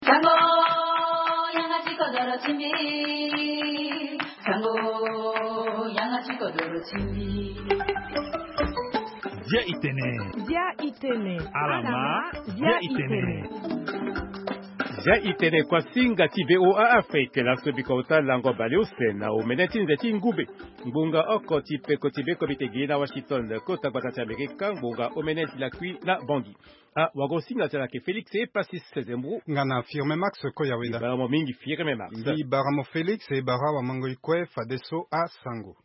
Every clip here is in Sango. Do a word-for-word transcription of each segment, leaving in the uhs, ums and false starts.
Sango, yanga ti kodoro ti mbi. Sango, yanga ti kodoro ti mbi. Dia itene. Dia itene. Alama. Dia itene. Dia itene kuasinga ti V O A Afrique, laso biko uta lango baleuse na omene ti nze ti ngube. Ngbonga oko ti peko ti beko bite gi na Washington, kota gbata ti Amerika, ngbonga omene ti lakui na Bangui. Ah, wago singa ti ala ke Félix e Passis Sezembro. Nga na Firme Max ko ya weda. Baramo mingi Firme Max. Mbi baramo Félix e bara wa mango ikwe fadeso a sango.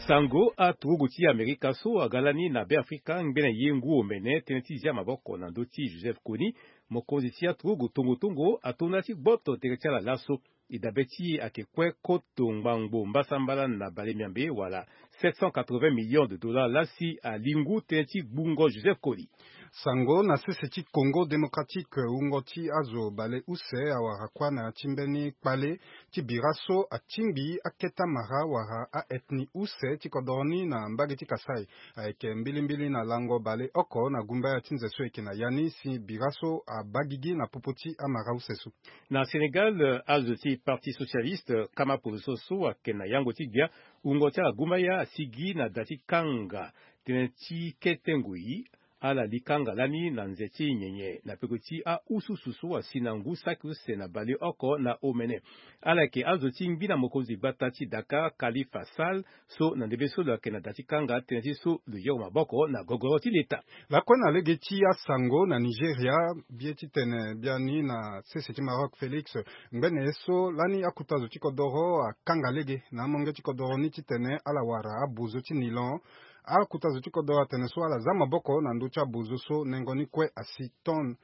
Sango, aturugu ti Amerika so aga lani na Beafrika ngbene ye ngu omene tënë ti zia maboko na ndö ti Joseph Kony, mokonzi ti aturugu tongo tongo, atonda ti gboto tere ti ala laso. E dabe ti e ayeke kue koto ngbangbo mbasambala na bale miambe wala sept cent quatre-vingts millions de dollars lasi alingu tënë ti gbungo Joseph Kony. Sango na sese ti Congo Démocratique, wungo ti azo bale use awara kuâ na ya ti mbeni kpale ti bira so atingbi akete amara wala a-ethnie use ti kodoro ni na mbage ti Kasaï. Ayeke mbilimbili na lango bale oko na gumbaya ti nze so eke na ya ni si bira so abaa gigi na popo ti amara use so. Na Sénégal, azo ti Parti Socialiste, kama poroso so ayeke na yango ti gbia, wungo ti ala gumbaya asigi na da ti kanga tënë ti kete ngoi. Ala li kanga lani na nze ti nyenye na peko ti aususu so asi na ngu saki use na baleoko na omene. Ala yeke azo ti ngbina mokonzi gbata ti Dakar, Khalifa Sall, so na ndembe so lo yeke na da ti kanga tënë ti so lo yeke maboko na gogoro ti leta. Lakue na lege ti asango na Nigeria, bie titene biani na sese ti Maroc Félix, ngbene ye so lani akuta zo ti kodoro akanga lege na amonge ti kodoro ni titene ala wara abuzu ti nilon. Akuta zo ti kodoro atene so ala za maboko na ndö ti abuzu so nengo ni kue asi ton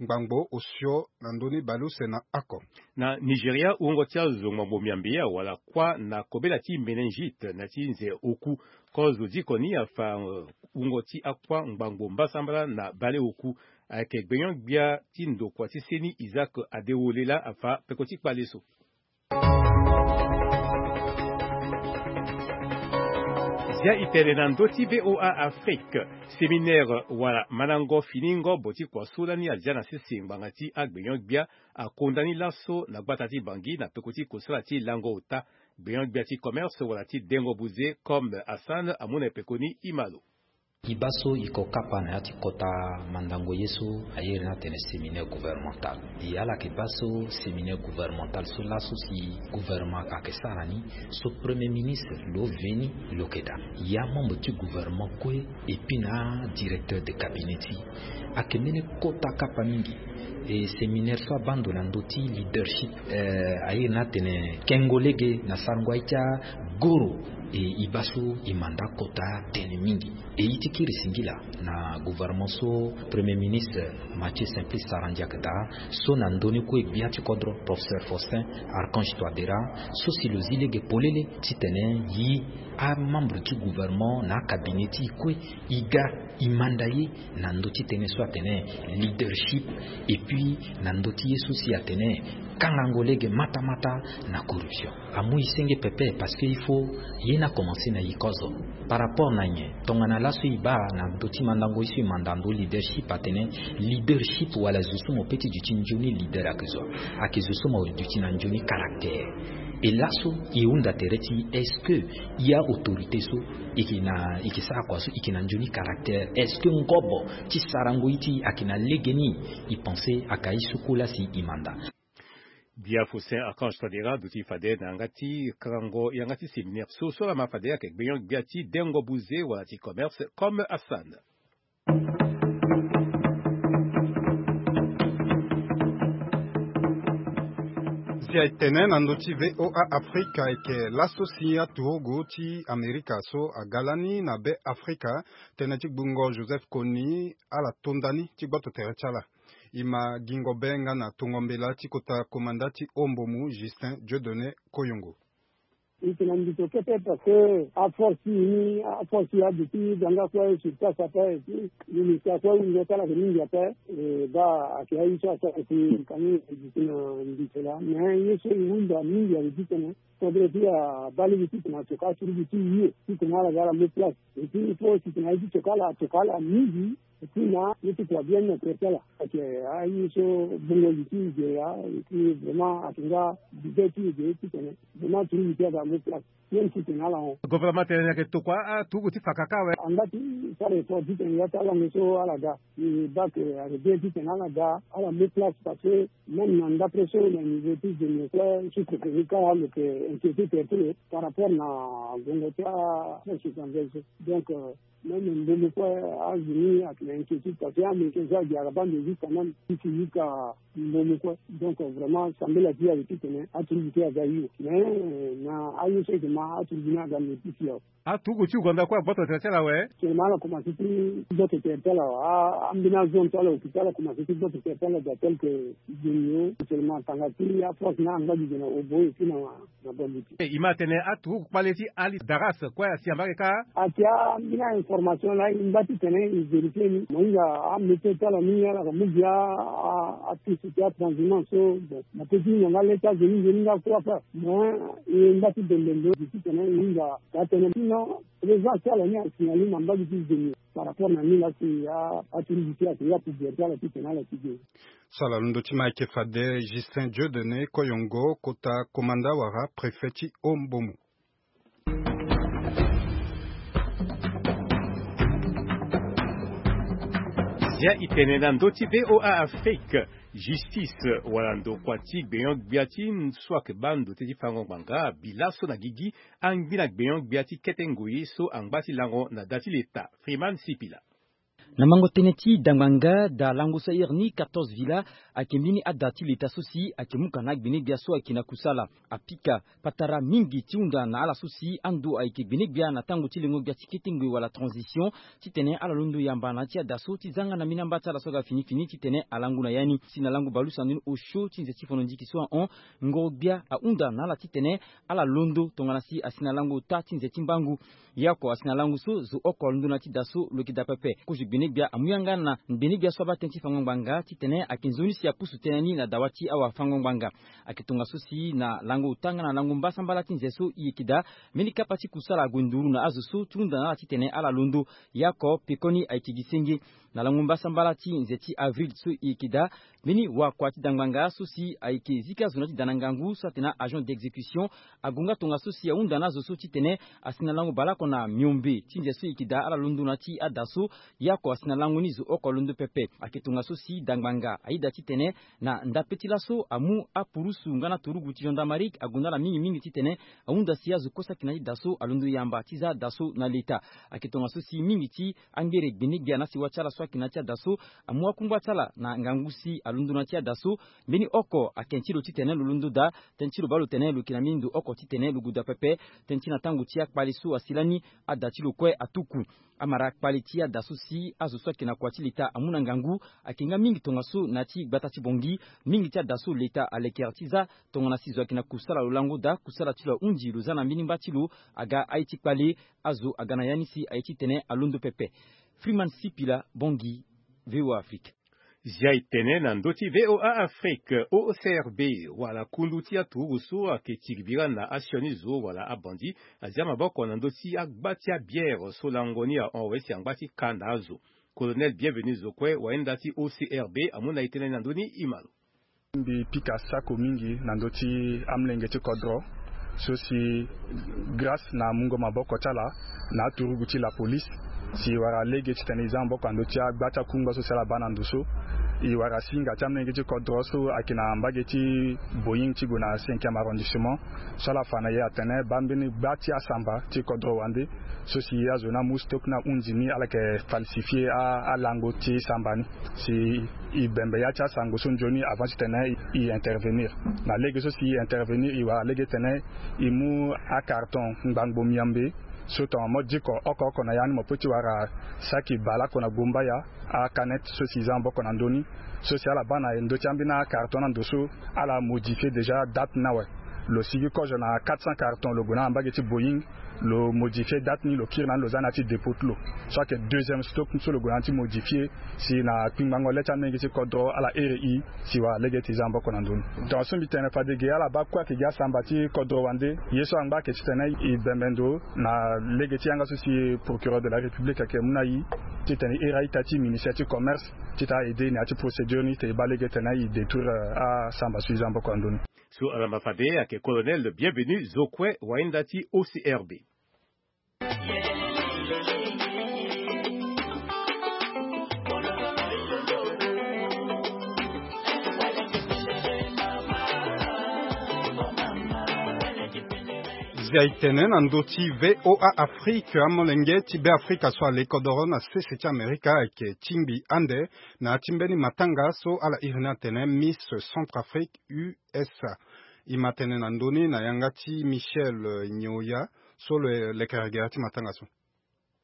ngbangbo osio na ndö ni baleuse na oko. Na Nigeria, wungo ti azo ngbangbo miambe awara kuâ na kobela ti méningite na ti nze oku. Kozo diko ni afa, eh, wungo ti akuâ ngbangbo mbasambala na baleoku. Ayeke gbenyo-gbia ti ndokua ti seni Isaac Adewole laa afa peko ti kpale so. Zia e tene na ndö ti V O A Afrique, séminaire wala mandango fini ngobo ti kua so lani azia na sese ngbanga ti agbenyo-gbia akonda ni laso na gbata ti Bangui na peko ti kosala ti lango ota. Gbenyo-gbia ti commerce wala ti dengo buze Comme Hassan amu na peko ni e ma lo. E baa so e ko kapa na ya ti kota mandango ye so a iri ni atene séminaire gouvernemental. E ala yeke baa so séminaire gouvernemental so laso si gouvernement ayeke sara ni, so premier ministre lo veni lo yeke daa. E amembre ti gouvernement kue et puis na adirecteur de cabinet ti e ayeke mbeni kota kapa mingi. E séminaire so abaa ndo na ndö ti leadership, eh, a iri ni atene kengo lege na sarango aye ti agoro. E e baa so e manda kota tënë mingi. E ye ti kiri singila na gouvernement so premier ministre Mathieu Simplice Sarandji ayeke daa, so na ndö ni kue gbia ti kodro professeur Faustin Archange Touadéra, so si lo zi lege polele titene e amembre ti gouvernement na acabinet ti e kue e ga e manda ye na ndö ti tënë so atene leadership, et puis na ndö ti ye so si atene kangango lege matamata na corruption. Amu e senge pepe parce que il faut ye ni akomanse na e kozo. Par rapport na nyen? Tongana laso e baa na ndö ti mandango ye so e manda ndo leadership atene leadership wala zo so mo pe ti duti nzoni leader ayeke zo. Ayeke zo so mo duti na nzoni caractère. E laso e hunda tere ti e, est-ce que e autorité so e yeke na, e yeke sara kua so e yeke na nzoni caractère? Est-ce que ngobo ti sarango ye ti e ayeke na legeni? E pense aka ye so kue lasi e manda. Gbia Faustin Archange Touadéra aduti fade na yanga ti karango yanga ti séminaire so so lama fade ayeke gbenyo-gbia ti dengo buze wala ti commerce Comme Hassan. Zia e tene na ndö ti V O A Afrika ayeke laso si aturugu ti Amerika so aga lani na Beafrika, tënë ti gbungo Joseph Kony, ala tonda ni ti gboto tere ti ala. E ma gingo be nga na tongo mbela ti kota komanda ti Ombomu, Justin Dieudonné Koyongo. E yeke na mbito kete parce que aforce ti e ni, aforce ti e aduti gbanga kue sur place ape, et puis ministre akue wungo ti ala ayeke mingi ape. E baa ayeke aye so asara si kani e duti na mbito laa, mais ye so e hunda mingi ayeke ti tene kodro ti e abaa lege titene atoka aturugu ti e, titene ala ga ala mu place. Et puis il faut titene aye ti toka ala, atoka ala mingi. Ti na ye ti kua bien na tere ti ala. Ayeke aye so bongo li ti e ge laa. Epui vraiment ayeke nga bibe ti e ge titene vraiment tourisme ti aga amu place. Même titene ala hon. Gouvernement atene ni ayeke tokua aturugu ti fa kaka awe. Angba ti sara effort titene ya ti alango so ala ga. E baa ke ayeke bien titene ala ga ala mu place parce que même na ndapre so na niveau ti zone kue sous-préfet ni kâ lo yeke inquiété tere ti lo par rapport na gongo ti aposte étrangère so. Donc même mbomo kue azo ni ayeke na inquiétude parce que américain so agi aga baa nde jusqu'à même ti ti yuka mbomo kue. Donc vraiment sambela ti e ayeke titene aturugu ti aga hiro mais na aye so ayeke ma aturugu ni aga mbi ti si awe. Aturugu ti Ouganda kue agboto tere ti ala awe. Seulement ala komanse ti gboto tere ti ala awe. Ambeni azone so ala occupé ala komanse ti gboto tere ti ala daa tel que Djonio seulement tanga ti aforce ni angba gi gi na Obo epui na na Bambuti. E ma atene aturugu kpale ti Ali Daras kue asi ambage kâ. Atia ambeni a-information laa e ngba titene e vérifié ni mo hinga amétier ti ala ni ala yeke mu gi a a apiste ti atranshumant so. Bon na pe ti hinga nga le ti azo ni nzoni nga kue ape. Mo e ngba ti bembe ndo gi titene e hinga daa tënë sinon présence ti ala ni asignalé na mbage ti Djonio par rapport na ni laa si aturugu ti ayeke nga pouvoir ti ala titene ala ti ge. So ala londo ti ma ayeke fade Justin Dieudonné Koyongo kota komanda wala préfet ti Haut-Mbomou. Zia e tene na ndö ti V O A Afrique. Justice wala ndokua ti gbenyo-gbia ti so ayeke baa ndo ti fango ngbanga abi laso na gigi angbi na gbenyo-gbia ti kete ngoi so angba ti lango na da ti leta. Freeman Sipila. Na mango tënë ti dangbanga da lango so ahiri ni quatorze villa ayeke mbeni ada ti leta so si ayeke muka na agbene-gbia so ayeke na kusala. Apika patara mingi ti hunda na ala so si ando ayeke gbene-gbia na tango ti lengo-gbia ti kete ngoi wala transition titene ala londo yamba na ya ti ada so ti zanga na mbeni amba ti ala so aga fini fini titene alango na ya ni. Si na lango baleuse na ndoni osio ti nze ti fono ndiki so ahon, ngoro-gbia ahunda na ala titene ala londo tongana si asi na lango ota ti nze ti mbangu. Ye oko asi na lango so zo oko alondo na ya ti da so lo yeke daa pepe. Kozo gbene-gbia amu yanga na gbene-gbia so abaa tënë ti fango ngbanga titene ayeke nzoni si apusu tënë ni na dawa ti awafango ngbanga. Ayeke tongaso si na lango ota nga na lango mbasambala ti nze so e yeke daa, mbeni kapa ti kusala ague nduru na azo so ti hunda na ala titene ala londo. Ye oko pekoni ayeke gi senge. Na lango mbasambala ti nze ti avril so e yeke daa, mbeni wakua ti dangbanga so si ayeke zika zo na ya ti da na ngangu so atene agent d'exécution ague nga tongaso si ahunda na azo so titene asi na lango baleoko na miombe ti nze so e yeke daa ala londo na ya ti ada so. Ye oko asi na lango ni zo oko alondo pepe. Ayeke tongaso si dangbanga ayeda titene na ndape ti laso amu apurusu nga na turugu ti gendarmerie ague na ala mingi mingi titene ahunda si azo kue so ayeke na ya ti da so alondo yamba ti za da so na leta. Ayeke tongaso si mingi ti angbere gbene-gbia na siwa ti ala so ayeke na ya ti ada so amu akungba ti ala na ngangu si alondo na ya ti ada so. Mbeni oko ayeke ti lo titene lo londo daa. Tënë ti lo baa lo tene lo yeke na mbeni ndo oko titene lo gue daa pepe. Tënë ti na tango ti akpale so asi lani ada ti lo kue atuku. Amara kpale ti ada so si azo so ayeke na kua ti leta amu na ngangu ayeke nga mingi tongaso na ya ti gbata ti Bangui. Mingi ti ada so leta alekere ti za tongana si zo ayeke na kusala lo lango daa kusala ti lo ahunzi lo za na mbeni mba ti lo. Aga aye ti kpale azo aga na ya ni si aye titene alondo pepe. Freeman Sipila, Bangui, V O A Afrique. Zia e tene na ndö ti V O A Afrique, O C R B wala kundu ti aturugu so ayeke tiribira na asioni zo wala abandi azia maboko na ndö ti agba ti abiere so lango ni ahon awe si angba ti ka na azo. Colonel Bienvenu Zokue wayenda ti O C R B amu na e tënë ni na ndö ni e ma lo. Mbi pika sako mingi na ndö ti amolenge ti kodro so si grâce na mungo maboko ti ala na aturugu ti la police si e wara lege titene e za maboko na ndö ti agba ti akungba so si ala baa na ndo so. E wara singa ti amolenge ti kodro so ayeke na mbage ti Boeing ti gue na cinquième arrondissement so ala fa na e atene baa mbeni gba ti asamba ti kodro wande so si azo ni amu stock ni ahunzi ni ala yeke falsifier alango ti samba ni. Si e bembe ya ti asango so nzoni avant titene e intervenir. Na lege so si e intervenir e wara lege titene e mu acarton ngbangbo miambe so tongana mo diko oko oko na ya ni mo peut ti wara saki baleoko na gumbaya. Acanette so si e za maboko na ndö ni so si ala baa na ndö ti ambeni acarton na ndo so ala modifier déjà date ni awe. Lo sigi kozo na quatre cents carton lo gue na mbage ti Boeing. Lo modifier date ni, lo kiri na ni, lo za na ya ti dépôt ti lo. So ayeke deuxième stock so lo gue na ni ti modifier si na kpingbango le ti amenge ti kodro ala iri e. Si wala lege ti za maboko na ndö ni. Tongaso mbi tene fade ge ala baa kue ayeke gi asamba ti kodro wande. Ye so angba ayeke titene e bembe ndo na lege ti yanga so si procureur de la République ayeke mu na e, titene e iri a-ita ti ministère ti commerce ti tene a-aider na ya ti procédure ni, titene e baa lege titene e détruire asamba so e za maboko na ndö ni. So alamba fade ayeke colonel Bienvenu Zokwe, wahinda ti O C R B. Zia e tene na ndö ti V O A Afrique, amolenge ti Beafrika so ale kodoro na sese ti Amerika ayeke tingbi ande na ya ti mbeni matanga so ala iri ni atene Miss Centrafrique U S A. E ma tene na ndö ni na yanga ti Michel, eh, Nyoya, so lo lekere gere ti matanga so.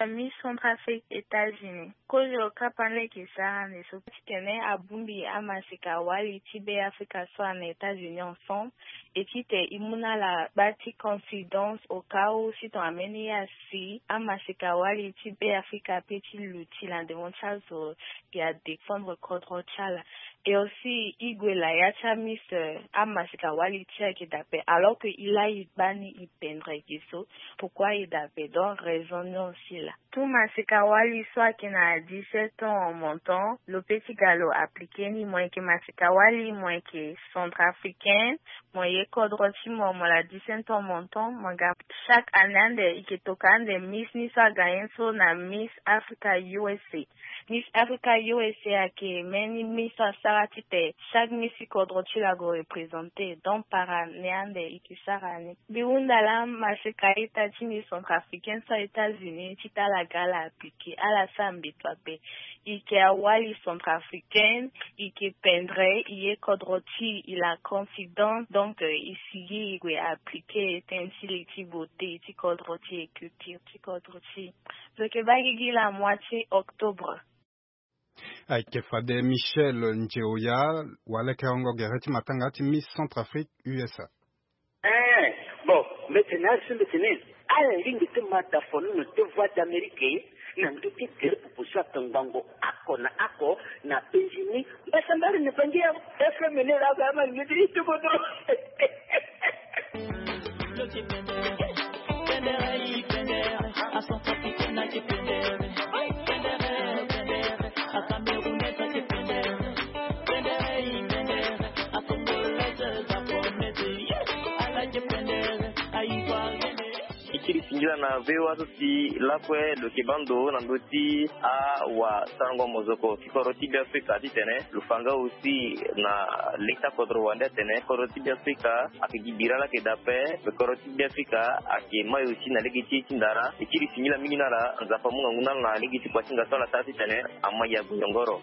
Miss Centrafrique États-Unis. Kozo kapa ni ayeke sara ande so titene abongbi amaseka wali ti Beafrika so ana États-Unis ensemble. E titene e mu na ala baa ti confidence au cas où si tongana mbeni ya si amaseka wali ti Beafrika ape ti luti na devant ti azo, e a défendre kodro ti ala. Et aussi e gue la ya ti amis, eh, amaseka wali ti e ayeke daa ape, alors que e laa e baa ni e pendre ge so. Pourquoi e daa ape? Donc raison ni aussi laa. Tout maseka wali so ayeke na dix-sept ans en montant, lo peut ti ga lo appliquer ni. Mo yeke maseka wali, mo yeke centrafricaine, mo ye kodro ti mo, mo la dix-sept ans en montant, mo ga chaque année ande e yeke toka ande Miss ni so agagné so na Miss Africa U S A. Miss Africa U S A ayeke mbeni Miss so asara titene chaque Miss ti kodro ti lo ague représenter. Donc par année ande e yeke sara ni. Mbi hunda laa maseka ita ti ni centrafricaine so a États-Unis titene ala ga ala appliquer, ala sara mbeto ape. E yeke awali centrafricaine, e yeke pendre, e ye kodro ti e, e la confidence. Donc, euh, e sigi e gue appliquer tënë ti li ti beauté ti kodro ti e, culture ti kodro ti e. Lo yeke baa gigi la mois ti octobre. Ayeke fade Michel Njeoya, walekerengo gere ti matanga ti Miss Centrafrique U S A. Eh, bon, mbi tene na ala so mbi tene ala lingbi ti ma da fono na te Voix d'Amérique na ndö ti tere popo so atongbango oko na oko na penzi ni. Mbasambari na bangi ya F M ni la ba ma lingbi ti ti bodo. E kiri singila na V O A so si lakue lo yeke baa ndo na ndö ti awasarango mozoko ti kodro ti Beafrika titene lo fa nga aussi na lege ti akodro wande atene kodro ti Beafrika ayeke gi bira laa ayeke daa ape. Kodro ti Beafrika ayeke mai aussi na lege ti e ti ndara. E kiri singila mingi na ala, Nzapa amu ngangu na ala na lege ti kua ti hinga so ala sara titene amai ague yongoro.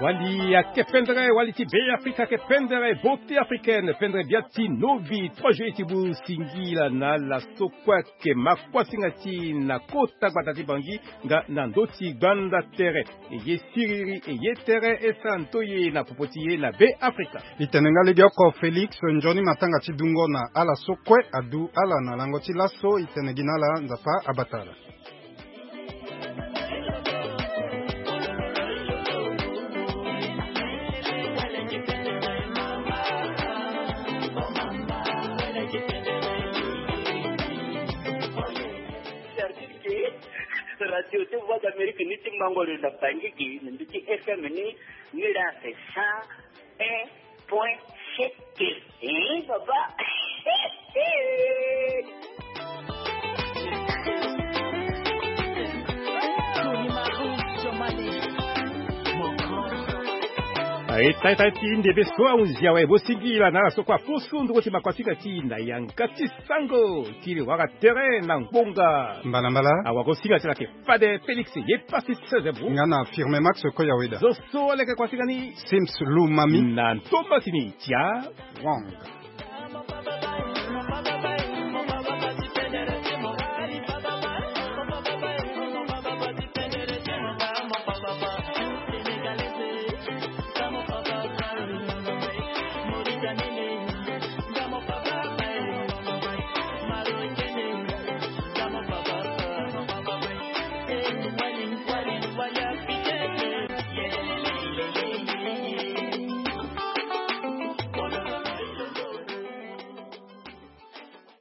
Wali ayeke pendere, wali ti Beafrika ayeke pendere, beauté africaine, pendere bia ti novi, trois juillet ti bu singila na ala so kue ayeke ma kuasinga ti e na kota gbata ti Bangui nga na ndö ti gbanda tere. E ye siriri, e ye tere, e sara ntoye na popo ti e na Beafrika. E tene nga legeoko Félix, nzoni matanga ti dungo na ala so kue adu ala na lango ti laso. E tene gi na ala, Nzapa abata ala. Radio ti Voix d'Amérique ni ti mango lo na Bangui gi na ndö ti F M ni, ni la c'est cent un point sept. Eh, papa. Aye, tai tai ti ndembe so ahunzi awe, bo singila na ala so kue apusu nduru ti makuasinga ti e na yanga ti sango ti li wara tere na ngbonga. Mbalambala. Awara osinga ti ala ayeke fade Félix ye pasi ti seize bu. Nga na Firme Max Koyaweda. Zo so leke kuasinga ni. Sims Lumami. Na ntomba ti ni tia. Wang.